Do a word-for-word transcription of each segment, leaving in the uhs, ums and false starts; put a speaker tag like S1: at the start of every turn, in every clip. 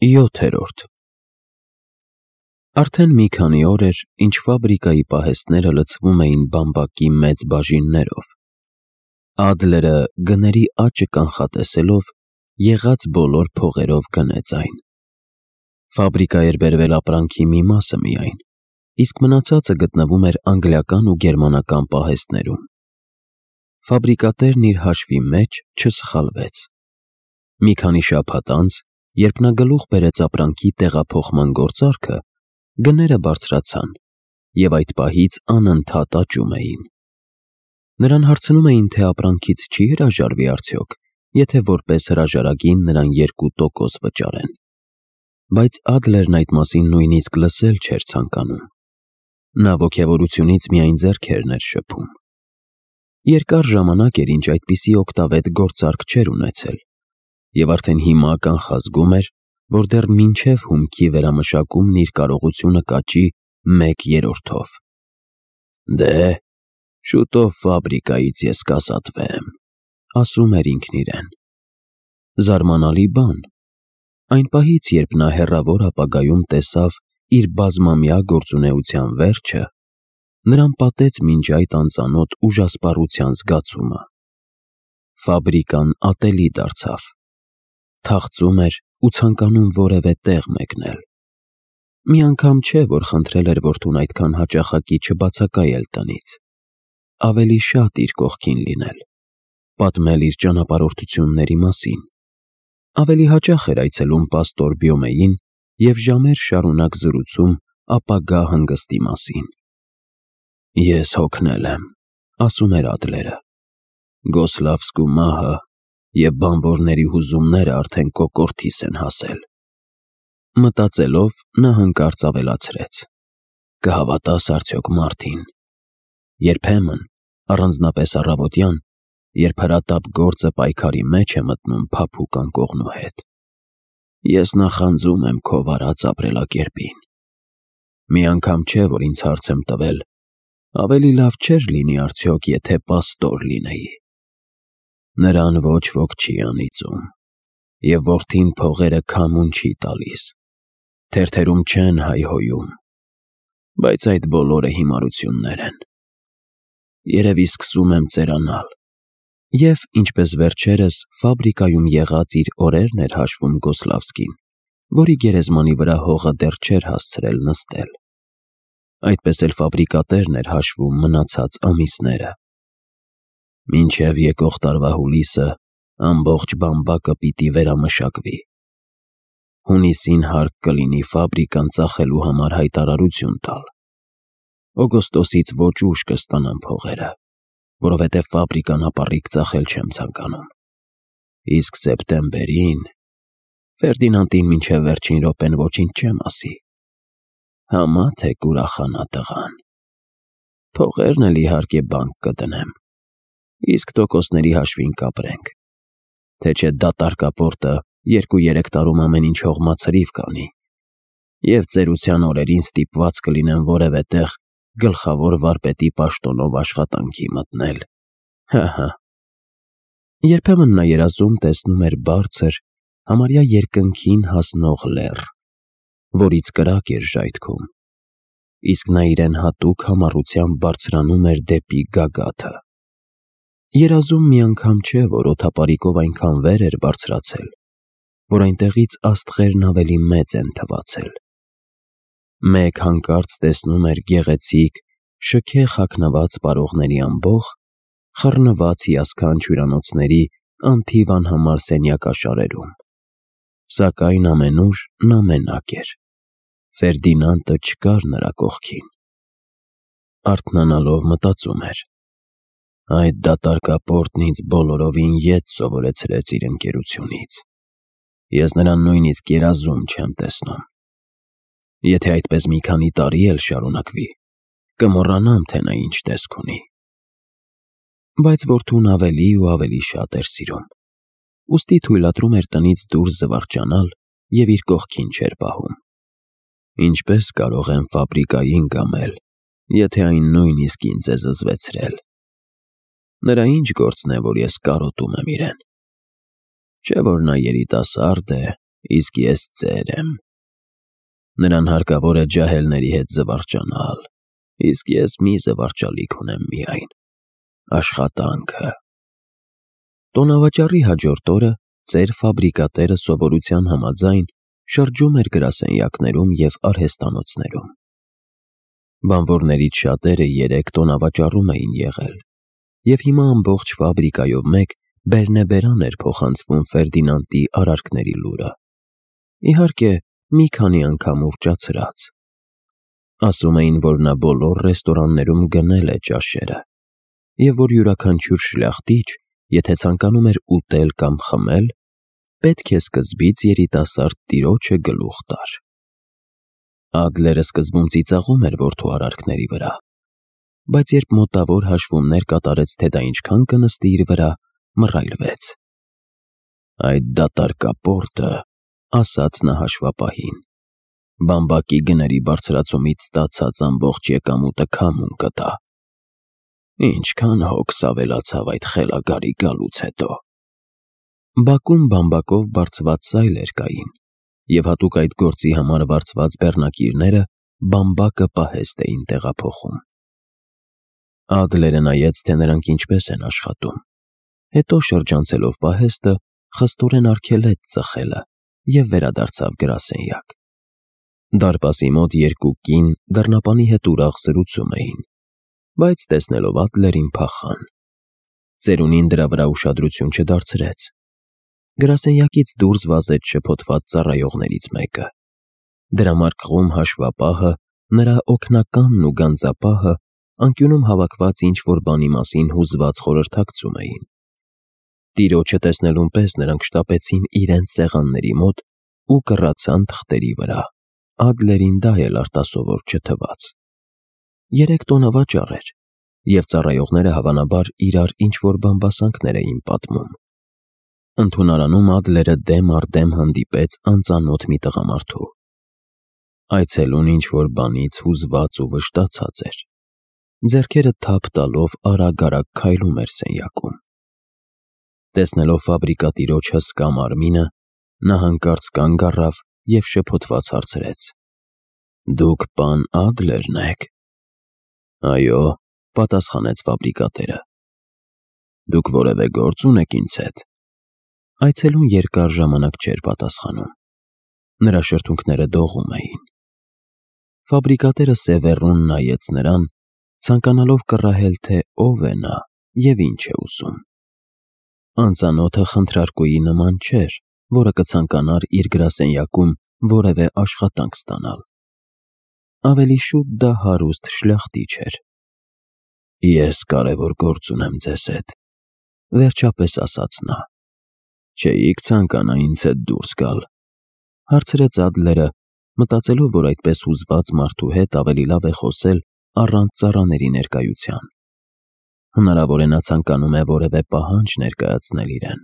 S1: յոթերորդ Արդեն մի քանի օր էր, ինչ ֆաբրիկայի պահեստները լցվում էին բամբակի մեծ բաժիններով։ Ադլերը, գների աճը կանխատեսելով, եղած բոլոր փողերով գնեց այն։ Ֆաբրիկա էր բերվել ապրանքի մի մասը միայն, իսկ մնացածը գտնվում էր անգլիական ու գերմանական պահեստներում։ Ֆաբրիկատերն իր հաշվի մեջ չսխալվեց։ Մի քանի շաբաթ անց, երբ նա գլուխ բերեց ապրանքի տեղափոխման գործարքը, գները բարձրացան և այդ պահից անընդհատ աճում էին։ Նրան հարցնում էին, թե ապրանքից չի հրաժարվի արդյոք, եթե որպես հրաժարագին նրան երկու տոկոս վճարեն։ Բայց Ադլերն այդ մասին նույնիսկ լսել չէր ցանկանում։ Նա ոգևորությունից միայն ձեռքերն էր շփում։ Երկար ժամանակ էր, ինչ այդպիսի օգտավետ գործարք չէր ունեցել, և արդեն հիմա կանխազգում էր, որ դեռ մինչև հումքի վերամշակումն իր կարողությունը կաճի մեկ երրորդով։ «Դե, շուտով ֆաբրիկայից ես կազատվեմ», ասում էր ինքն իրեն։ Զարմանալի բան։ Այն պահից, երբ նա հեռավոր ապագայում տեսավ իր բազմամյա գործունեության վերջը, նրան պատեց մինչ այդ անծանոթ ուժասպառության զգացումը։ Ֆաբրիկան ատելի դարձավ։ Թախծում էր ու ցանկանում որևէ տեղ մեկնել։ Մի անգամ չէ, որ խնդրել էր որդուն այդքան հաճախակի չբացակայել տնից։ Ավելի շատ իր կողքին լինել, պատմել իր ճանապարհորդությունների մասին։ Ավելի հաճախ էր այցելում պաստոր Բյոմեին և ժամեր շարունակ զրուցում ապագա հանգստի մասին։ «Ես հոգնել եմ», ասում էր Ադլերը։ «Գոսլավսկու մահը և բանվորների հուզումները արդեն կոկորդիս են հասել»։ Մտածելով, նա հանկարծ ավելացրեց. «Կհավատաս արդյոք Մարտին, երբեմն, առանձնապես առավոտյան, երբ հրատապ գործը պայքարի մեջ է մտնում փափուկ անկողնու հետ, ես նախանձում եմ քո վարած ապրելակերպին։ Մի անգամ չէ, որ ինձ հարց եմ տվել. ավելի լավ չէր լինի արդյոք, եթե պաստոր լինեի։ Նրան ոչ ոք չի անիծում, և որդին փողերը քամուն չի տալիս, թերթերում չեն հայհոյում, բայց այդ բոլորը հիմարություններ են։ Երևի սկսում եմ ծերանալ»։ Եվ, ինչպես վերջերս, ֆաբրիկայում եղած իր օրերն էր հաշվում Գոսլավսկին, որի գերեզմանի վրա հողը դեռ չէր հասցրել նստել։ Այդպես էլ ֆաբրիկատերն էր հաշվում մնացած ամիսները։ «Մինչև եկող տարվա հուլիսը ամբողջ բամբակը պիտի վերամշակվի։ Հունիսին հարկ կլինի ֆաբրիկան ծախելու համար հայտարարություն տալ։ Օգոստոսից ոչ ուշ կստանամ փողերը, որովհետև ֆաբրիկան ապառիկ ծախել չեմ ցանկանում։ Իսկ սեպտեմբերին… Ֆերդինանդին մինչև վերջին րոպեն ոչինչ չեմ ասի։ Համա թե կուրախանա տղան։ Փողերն էլ իհարկե բանկ կդնեմ, իսկ տոկոսների հաշվին կապրենք, թե չէ դատարկապորտը երկու֊երեք տարում ամեն ինչ հողմացրիվ կանի, և ծերության օրերին ստիպված կլինեմ որևէ տեղ գլխավոր վարպետի պաշտոնով աշխատանքի մտնել։ Հը՛֊հը»։ Երբեմն նա երազում տեսնում էր բարձր, համարյա երկնքին հասնող լեռ, որից կրակ էր ժայթքում, իսկ նա իրեն հատուկ համառությամբ բարձրանում էր դեպի գագաթը։ Երազում մի անգամ չէ, որ օդապարիկով այնքան վեր էր բարձրացել, որ այնտեղից աստղերն ավելի մեծ են թվացել։ Մեկ հանկարծ տեսնում էր գեղեցիկ, շքեղ հագնված պարողների ամբոխ, խռնված հիասքանչ հյուրանոցների անթիվ անհամար սենյակաշարերում, սակայն ամենուր նա մենակ էր։ Ֆերդինանդը չկար նրա կողքին։ Արթնանալով մտածում էր. «Այդ դատարկապորտն ինձ բոլորովին ետ սովորեցրեց իր ընկերությունից։ Ես նրան նույնիսկ երազում չեմ տեսնում։ Եթե այդպես մի քանի տարի էլ շարունակվի, կմոռանամ, թե նա ինչ տեսք ունի»։ Բայց որդուն ավելի ու ավելի շատ էր սիրում, ուստի թույլատրում էր տնից դուրս զվարճանալ և իր կողքին չէր պահում։ «Ինչպես կարող եմ ֆաբրիկային կամել, եթե այն նույնիսկ ինձ է զզվեցրել։ Նրա ինչ գործն է, որ ես կարոտում եմ իրեն։ Չէ որ նա երիտասարդ է, իսկ ես ծեր եմ։ Նրան հարկավոր է ջահելների հետ զվարճանալ, իսկ ես մի զվարճալիք ունեմ միայն՝ աշխատանքը։ Տոնավաճառի հաջորդ օրը ծեր ֆաբրիկատերը սովորության համաձայն շրջում էր գրասենյակներում և արհեստանոցներում։ Բանվորներից շատերը երեք տոնավաճառում էին եղել, և հիմա ամբողջ ֆաբրիկայով մեկ բերնեբերան էր փոխանցվում Ֆերդինանդի արարքների լուրը, իհարկե, մի քանի անգամ ուռճացրած։ Ասում էին, որ նա բոլոր ռեստորաններում գնել է ճաշերը, և որ յուրաքանչյուր շլախտիչ, եթե ցանկանում էր ուտել կամ խմել, պետք է սկզբից երիտասարդ տիրոջը գլուխ տար։ Ադլերը սկզբում ծիծաղում էր որդու արարքների վրա, բայց երբ մոտավոր հաշվումներ կատարեց, թե դա ինչքան կնստի իր վրա, մռայլվեց։ Այդ դատարկապորտը, ասաց նա հաշվապահին, բամբակի գների բարձրացումից ստացած ամբողջ եկամուտը քամուն կտա։ Ինչքան հոգս ավելացավ այդ խելագարի գալուց հետո։ Բակում բամբակով բարձված սայլեր կային, և հատուկ այդ գործի համար վարձված բեռնակիրները բամբակը պահեստ էին տեղափոխում։ Ադլերը նայեց, թե նրանք ինչպես են աշխատում, հետո շրջանցելով պահեստը, խստորեն արգելեց ծխելը և վերադարձավ գրասենյակ։ Դարպասի մոտ երկու կին դռնապանի հետ ուրախ զրուցում էին, բայց տեսնելով Ադլերին փախան։ Ծերունին դրա վրա ուշադրություն չդարձրեց։ Գրասենյակից դուրս վազեց շփոթված ծառայողներից մեկը։ Դրամարկղում հաշվապահը, նրա օգնականն ու գանձապահը անկյունում հավաքված ինչ-որ բանի մասին հուզված խորհրդակցում էին։ Տիրոջը տեսնելուն պես նրանք շտապեցին իրենց սեղանների մոտ ու կռացան թղթերի վրա, Ադլերին դա էլ արտասովոր չթվաց։ Երեք տոնավաճառ էր, և ծառայողները հավանաբար իրար ինչ-որ բամբասանքներ էին պատմում։ Ընդունարանում Ադլերը դեմ առ դեմ հանդիպեց անծանոթ մի տղամարդու։ Այցելուն ինչ-որ բանից հուզված ու վշտացած էր։ Ձեռքերը թափ տալով արագ-արագ քայլում էր սենյակում։ Տեսնելով ֆաբրիկատիրոջ հսկա մարմինը, նա հանկարծ կանգ առավ և շփոթված հարցրեց. «Դուք պան Ադլերն եք»։ «Այո», պատասխանեց ֆաբրիկատերը։ «Դուք որևէ գործ ունեք ինձ հետ»։ Այցելուն երկար ժամանակ չէր պատասխանում։ Նրա շրթունքները դողում էին։ Ֆաբրիկատերը սևեռուն նայեց նրան, ցանկանալով կռահել, թե ով է նա և ինչ է ուզում։ Անծանոթը խնդրարկուի նման չէր, որը կցանկանար իր գրասենյակում որևէ աշխատանք ստանալ։ Ավելի շուտ դա հարուստ շլախտիչ էր։ «Ես կարևոր գործ ունեմ ձեզ հետ», վերջապես ասաց նա։ «Չէիք ցանկանա ինձ հետ դուրս գալ»։ Հարցրեց Ադլերը, մտածելով, որ այդպես հուզված մարդու հետ ավելի լավ է խոսել առանց ծառաների ներկայության։ Հնարավոր է նա ցանկանում է որևէ պահանջ ներկայացնել իրեն։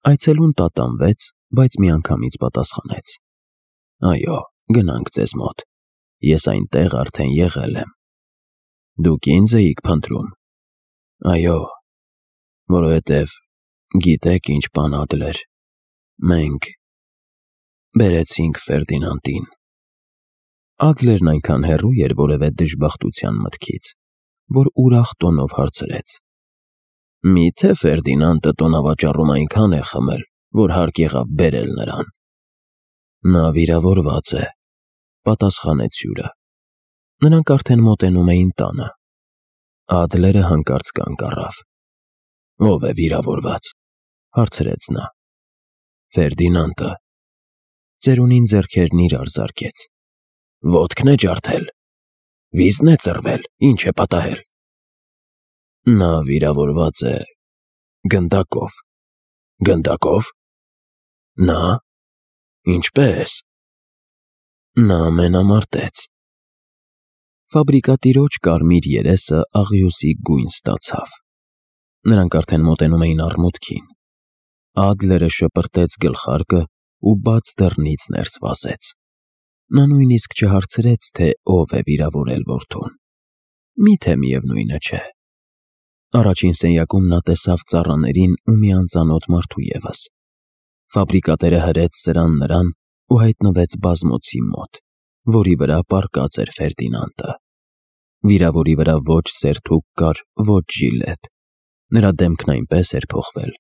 S1: Այցելուն տատանվեց, բայց միանգամից պատասխանեց. «Այո, գնանք ձեզ մոտ, ես այնտեղ արդեն եղել եմ»։ «Դուք ինձ էիք փնտրում»։ «Այո, որովհետև գիտեք ինչ, պան Ադլեր, մենք բերեցինք Ֆերդինանդին»։ Ադլերն այնքան հեռու էր որևէ դժբախտության մտքից, որ ուրախ տոնով հարցրեց. «Մի՞թե Ֆերդինանդը տոնավաճառում այնքան է խմել, որ հարկ եղավ բերել նրան»։ «Նա վիրավորված է», պատասխանեց հյուրը։ Նրանք արդեն մոտենում էին տանը։ Ադլերը հանկարծ կանգ առավ։ «Ո՞վ է վիրավորված», հարցրեց նա։ «Ֆերդինանդը»։ Ծերունին ձեռքերն իրար զարկեց։ «Ոտքն է ջարդել, վիզն է ծռվել, ինչ է պատահել»։ «Նա վիրավորված է գնդակով»։ «Գնդակով։ Նա։ Ինչպե՞ս»։ «Նա մենամարտեց»։ Ֆաբրիկատիրոջ կարմիր երեսը աղյուսի գույն ստացավ։ Նրանք արդեն մոտենում էին առմուտքին։ Ադլերը շպրտեց գլխարկը ու բաց դռնից ներս վազեց։ Նա նույնիսկ չհարցրեց, թե ով է վիրավորել որդուն։ Մի՞թե միևնույնը չէ։ Առաջին սենյակում նա տեսավ ծառաներին ու մի անծանոթ մարդու ևս։ Ֆաբրիկատերը հրեց սրան նրան ու հայտնվեց բազմոցի մոտ, որի վրա պառկած էր Ֆերդինանդը։ Վիրավորի վրա ոչ սերթուկ կար, ոչ ժիլետ։ Նրա դեմքն այնպես էր փոխվել,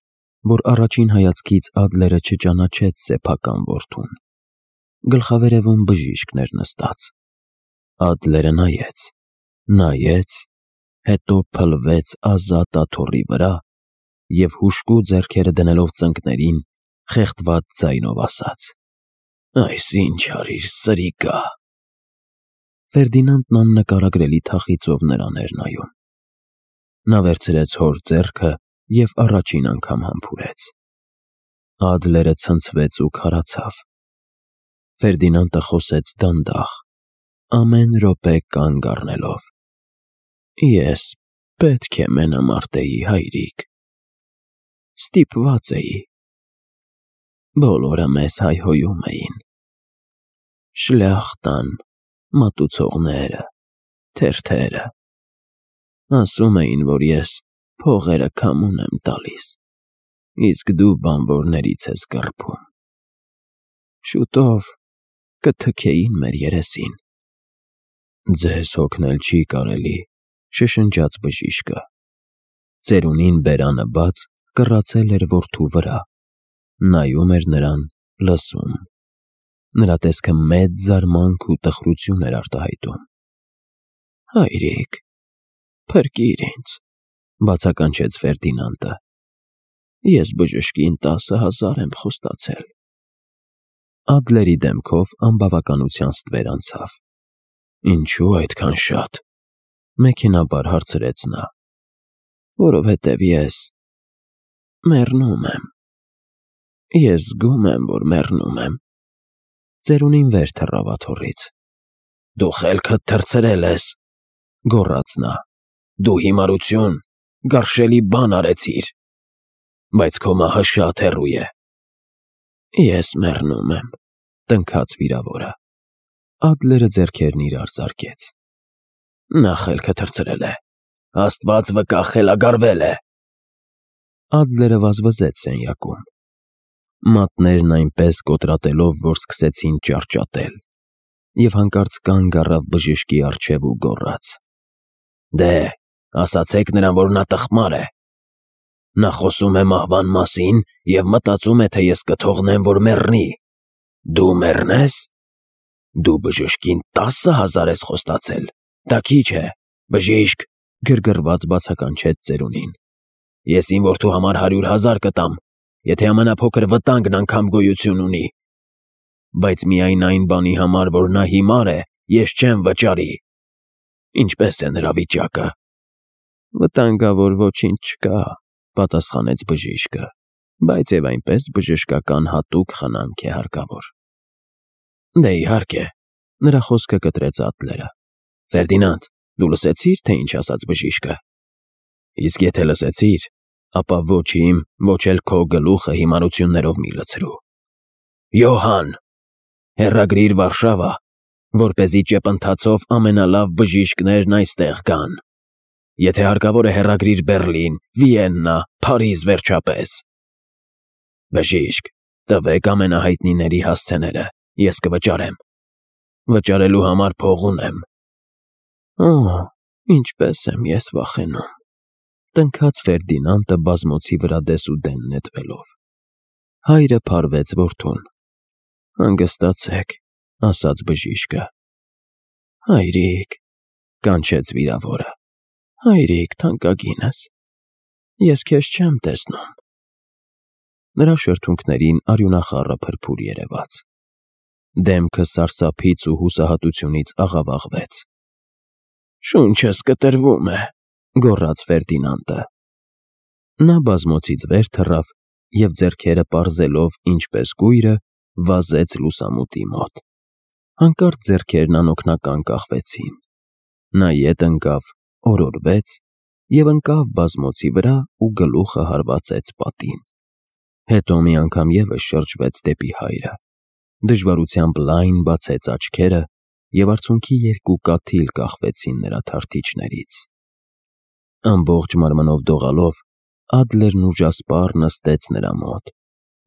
S1: որ առաջին հայացքից Ադլերը չճանաչեց սեփական որդուն։ Գլխավերևում բժիշկն էր նստած։ Ադլերը նայեց, նայեց, հետո փլվեց ազատ աթոռի վրա և հուժկու ձեռքերը դնելով ծնկներին, խեղդված ձայնով ասաց. «Այս ինչ արիր, սրիկա»։ Ֆերդինանդն աննկարագրելի թախիծով նրան էր նայում։ Նա վերցրեց հոր ձեռքը և առաջին անգամ համբուրեց։ Ադլերը ցնցվեց ու քարացավ։ Ֆերդինանդը խոսեց դանդաղ, ամեն րոպե կանգ առնելով. «Ես պետք է մենամարտեի, հայրիկ, ստիպված էի, բոլորը մեզ հայհոյում էին, շլյախտան, մատուցողները, թերթերը, ասում էին, որ ես փողերը քամուն եմ տալիս, իսկ դու բանվորներից ես կռփում, շուտով կթքեին մեր երեսին»։ «Ձեզ հոգնել չի կարելի», շշնջաց բժիշկը։ Ծերունին բերանը բաց կռացել էր որդու վրա, նայում էր նրան, լսում։ Նրա տեսքը մեծ զարմանք ու տխրություն էր արտահայտում։ «Հայրիկ, փրկիր ինձ», բացականչեց Ֆերդինանդը։ «Ես բժշկին տասը հազար եմ խոստացել»։ Ադլերի դեմքով անբավականության ստվեր անցավ։ «Ինչու այդքան շատ», մեքենայաբար հարցրեց նա։ «Որովհետև ես մեռնում եմ, ես զգում եմ, որ մեռնում եմ»։ Ծերունին վեր թռավ աթոռից։ «Դու խելքդ թռցրել ես», գոռաց նա։ «Դու հիմարություն, գարշելի բան արեցիր, բայց քո մահը շատ հեռու է»։ «Ես մեռնում եմ», տնքաց վիրավորը։ Ադլերը ձեռքերն իրար զարկեց։ «Նա խելքը թռցրել է, Աստված վկա, խելագարվել է»։ Ադլերը վազվզեց սենյակում։ Մատներն այնպես կոտրատելով, որ սկսեցին ճարճատել, և հանկարծ կանգ առավ բժշկի առջև ու գոռաց. «Դե, ասացեք նրան, որ նա տխմար է։ Նա խոսում է մահվան մասին և մտածում է, թե ես կթողնեմ, որ մեռնի։ Դու մեռնես։ Դու բժշկին տասը հազար ես խոստացել, դա քիչ է, բժիշկ», գրգռված բացականչեց ծերունին։ «Ես իմ որդու համար հարյուր հազար կտամ, եթե ամենափոքր վտանգն անգամ գոյություն ունի, բայց միայն այն բանի համար, որ նա հիմար է, ես չեմ վճարի։ Ինչպե՞ս է նրա վիճակը»։ «Վտանգավոր ոչինչ չկա», պատասխանեց բժիշկը, «բայց և այնպես բժշկական հատուկ խնամք է հարկավոր»։ «Դե իհարկե», նրա խոսքը կտրեց Ադլերը։ «Ֆերդինանդ, դու լսեցի՞ր, թե ինչ ասաց բժիշկը։ Իսկ եթե լսեցիր, ապա ոչ իմ, ոչ էլ քո գլուխը հիմարություններով մի լցրու։ Յոհան, հեռագրիր Վարշավա, որպեսզի ճեպընթացով ամենալավ բժիշկներն այստեղ գան։ Եթե հարկավոր է, հեռագրիր Բեռլին, Վիեննա, Փարիզ վերջապես։ Բժիշկ, տվեք ամենահայտնիների հասցեները, ես կվճարեմ։ Վճարելու համար փող ունեմ»։ «Օ՜, ինչպես եմ ես վախենում», տնքաց Ֆերդինանդը բազմոցի վրա դեսուդեն նետվելով։ Հայրը փարվեց որդուն։ «Հանգստացեք», ասաց բժիշկը։ «Հայրիկ», կանչեց վիրավորը, «հայրիկ թանկագինս, ես քեզ չեմ տեսնում»։ Նրա շրթունքներին արյունախառը փրփուր երևաց։ Դեմքը սարսափից ու հուսահատությունից աղավաղվեց։ «Շունչս կտրվում է», գոռաց Ֆերդինանդը։ Նա բազմոցից վեր թռավ և ձեռքերը պարզելով ինչպես կույրը, վազեց լուսամուտի մոտ։ Հանկարծ ձեռքերն անօգնական կախվեցին։ Նա ետ ընկավ, օրորվեց և ընկավ բազմոցի վրա ու գլուխը հարվածեց պատին։ Հետո մի անգամ ևս շրջվեց դեպի հայրը, դժվարությամբ լայն բացեց աչքերը, և արցունքի երկու կաթիլ կախվեցին նրա թարթիչներից։ Ամբողջ մարմնով դողալով, Ադլերն ուժասպառ նստեց նրա մոտ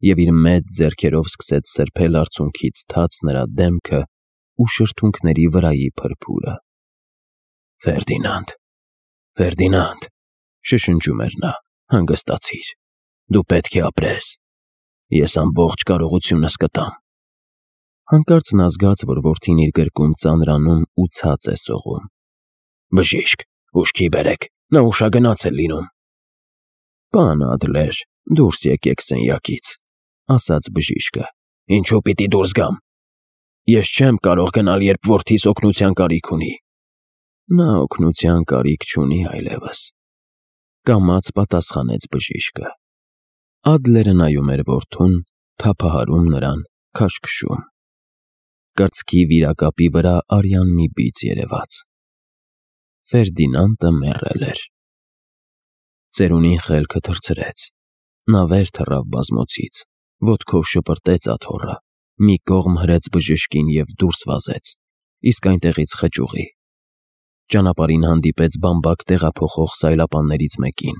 S1: և իր մեծ ձեռքերով սկսեց սրբել արցունքից թաց նրա դեմքը ու շրթունքների վրայի փրփուրը։ «Ֆերդինանդ, Ֆերդինանդ», շշնջում էր նա, հանգստացիր, դու պետք է ապրես, ես ամբողջ կարողությունս կտամ։ Հանկարծ նա զգաց, որ որդին իր գրկում ծանրանում ու ցած է սողում։ «Բժիշկ, ուշքի բերեք, նա ուշագնաց է լինում»։ «Պան Ադլեր, դուրս եկեք սենյակից», ասաց բժիշկը։ «Ինչու պիտի դուրս գամ։ Ես չեմ կարող գնալ, երբ որդիս օգնության կարիք ունի»։ Նա օգնության կարիք չունի այլևս, կամաց պատասխանեց բժիշկը։ Ադլերը նայում էր որդուն, թափահարում նրան, քաշքշում։ Կրծքի վիրակապի վրա արյան մի բիծ երևաց։ Ֆերդինանդը մեռել էր։ Ծերունին խելքը թռցրեց։ Նա վեր թռավ բազմոցից, ոտքով շպրտեց աթոռը, մի կողմ հրեց բժշկին և դուրս վազեց, իսկ այնտեղից խճուղի։ Ճանապարհին հանդիպեց բամբակ տեղափոխող սայլապաններից մեկին։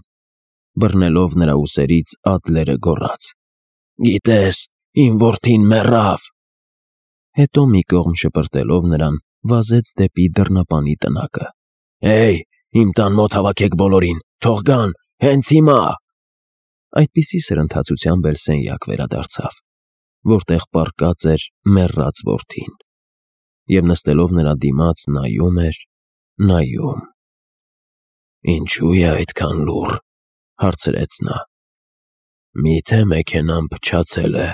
S1: Բռնելով նրա ուսերից Ադլերը գոռաց. «Գիտես, իմ որդին մեռավ»։ Հետո մի կողմ շպրտելով նրան, վազեց դեպի դռնապանի տնակը։ «Հեյ, իմ տան մոտ հավաքեք բոլորին, թող գան, հենց հիմա»։ Այդպիսի սրընթացությամբ էլ սենյակ վերադարձավ, որտեղ պառկած էր մեռած որդին, և նստելով նրա դիմաց նայում էր, նայում։ «Ինչո՞ւ է այդքան լուռ», հարցրեց նա։ «Մի՞թե մեքենան փչացել է»։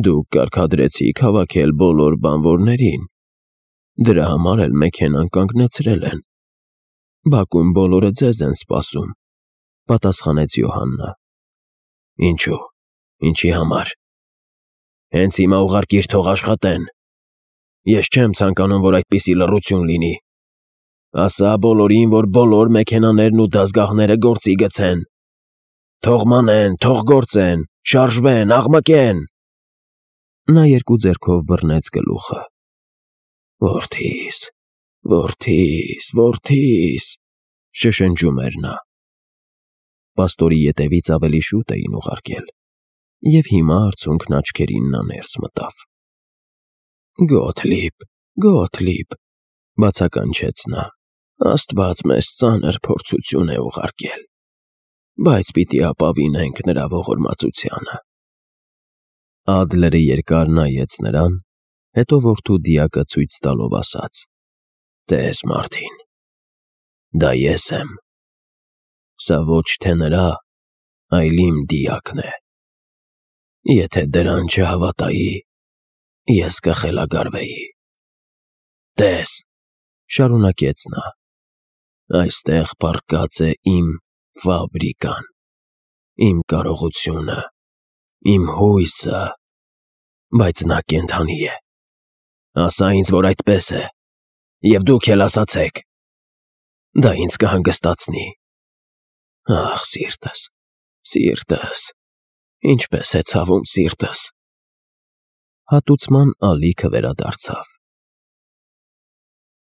S1: «Դուք կարգադրեցիք հավաքել բոլոր բանվորներին, դրա համար էլ մեքենան կանգնեցրել են։ Բակում բոլորը ձեզ են սպասում», պատասխանեց Յոհաննը։ «Ինչու, ինչի համար։ Հենց հիմա ուղարկիր, թող աշխատեն։ Ես չեմ ցանկանում, որ այդպիսի լռություն լինի։ Ասա բոլորին, որ բոլոր մեքենաներն ու դազգահները գործի գցեն։ Թող մանեն, թող գործեն, շարժվեն, աղմկեն»։ Նա երկու ձեռքով բռնեց գլուխը։ «Որդիս, որդիս, որդիս», շշնջում էր նա։ Պաստորի ետևից ավելի շուտ էին ուղարկել, և հիմա արցունքն աչքերին նա ներս մտավ։ «Գոթլիբ, Գոթլիբ», բացականչեց նա, «Աստված մեզ ծանր փորձություն է ուղարկել, բայց պիտի ապավինենք նրա ողորմածությանը»։ Ադլերը երկար նայեց նրան, հետո որդու դիակը ցույց տալով ասաց. «Տես, Մարտին, դա ես եմ։ Սա ոչ թե նրա, այլ իմ դիակն է։ Եթե դրան չհավատայի, ես կխելագարվեի։ Տես», շարունակեց նա, «այստեղ պառկած է իմ ֆաբրիկան, իմ կարողությունը, իմ հույսը, բայց նա կենդանի է։ Ասա ինձ, որ այդպես է, և դուք էլ ասացեք։ Դա ինձ կհանգստացնի։ Ախ, սիրտս, սիրտս, ինչպես է ցավում սիրտս»։ Հատուցման ալիքը վերադարձավ։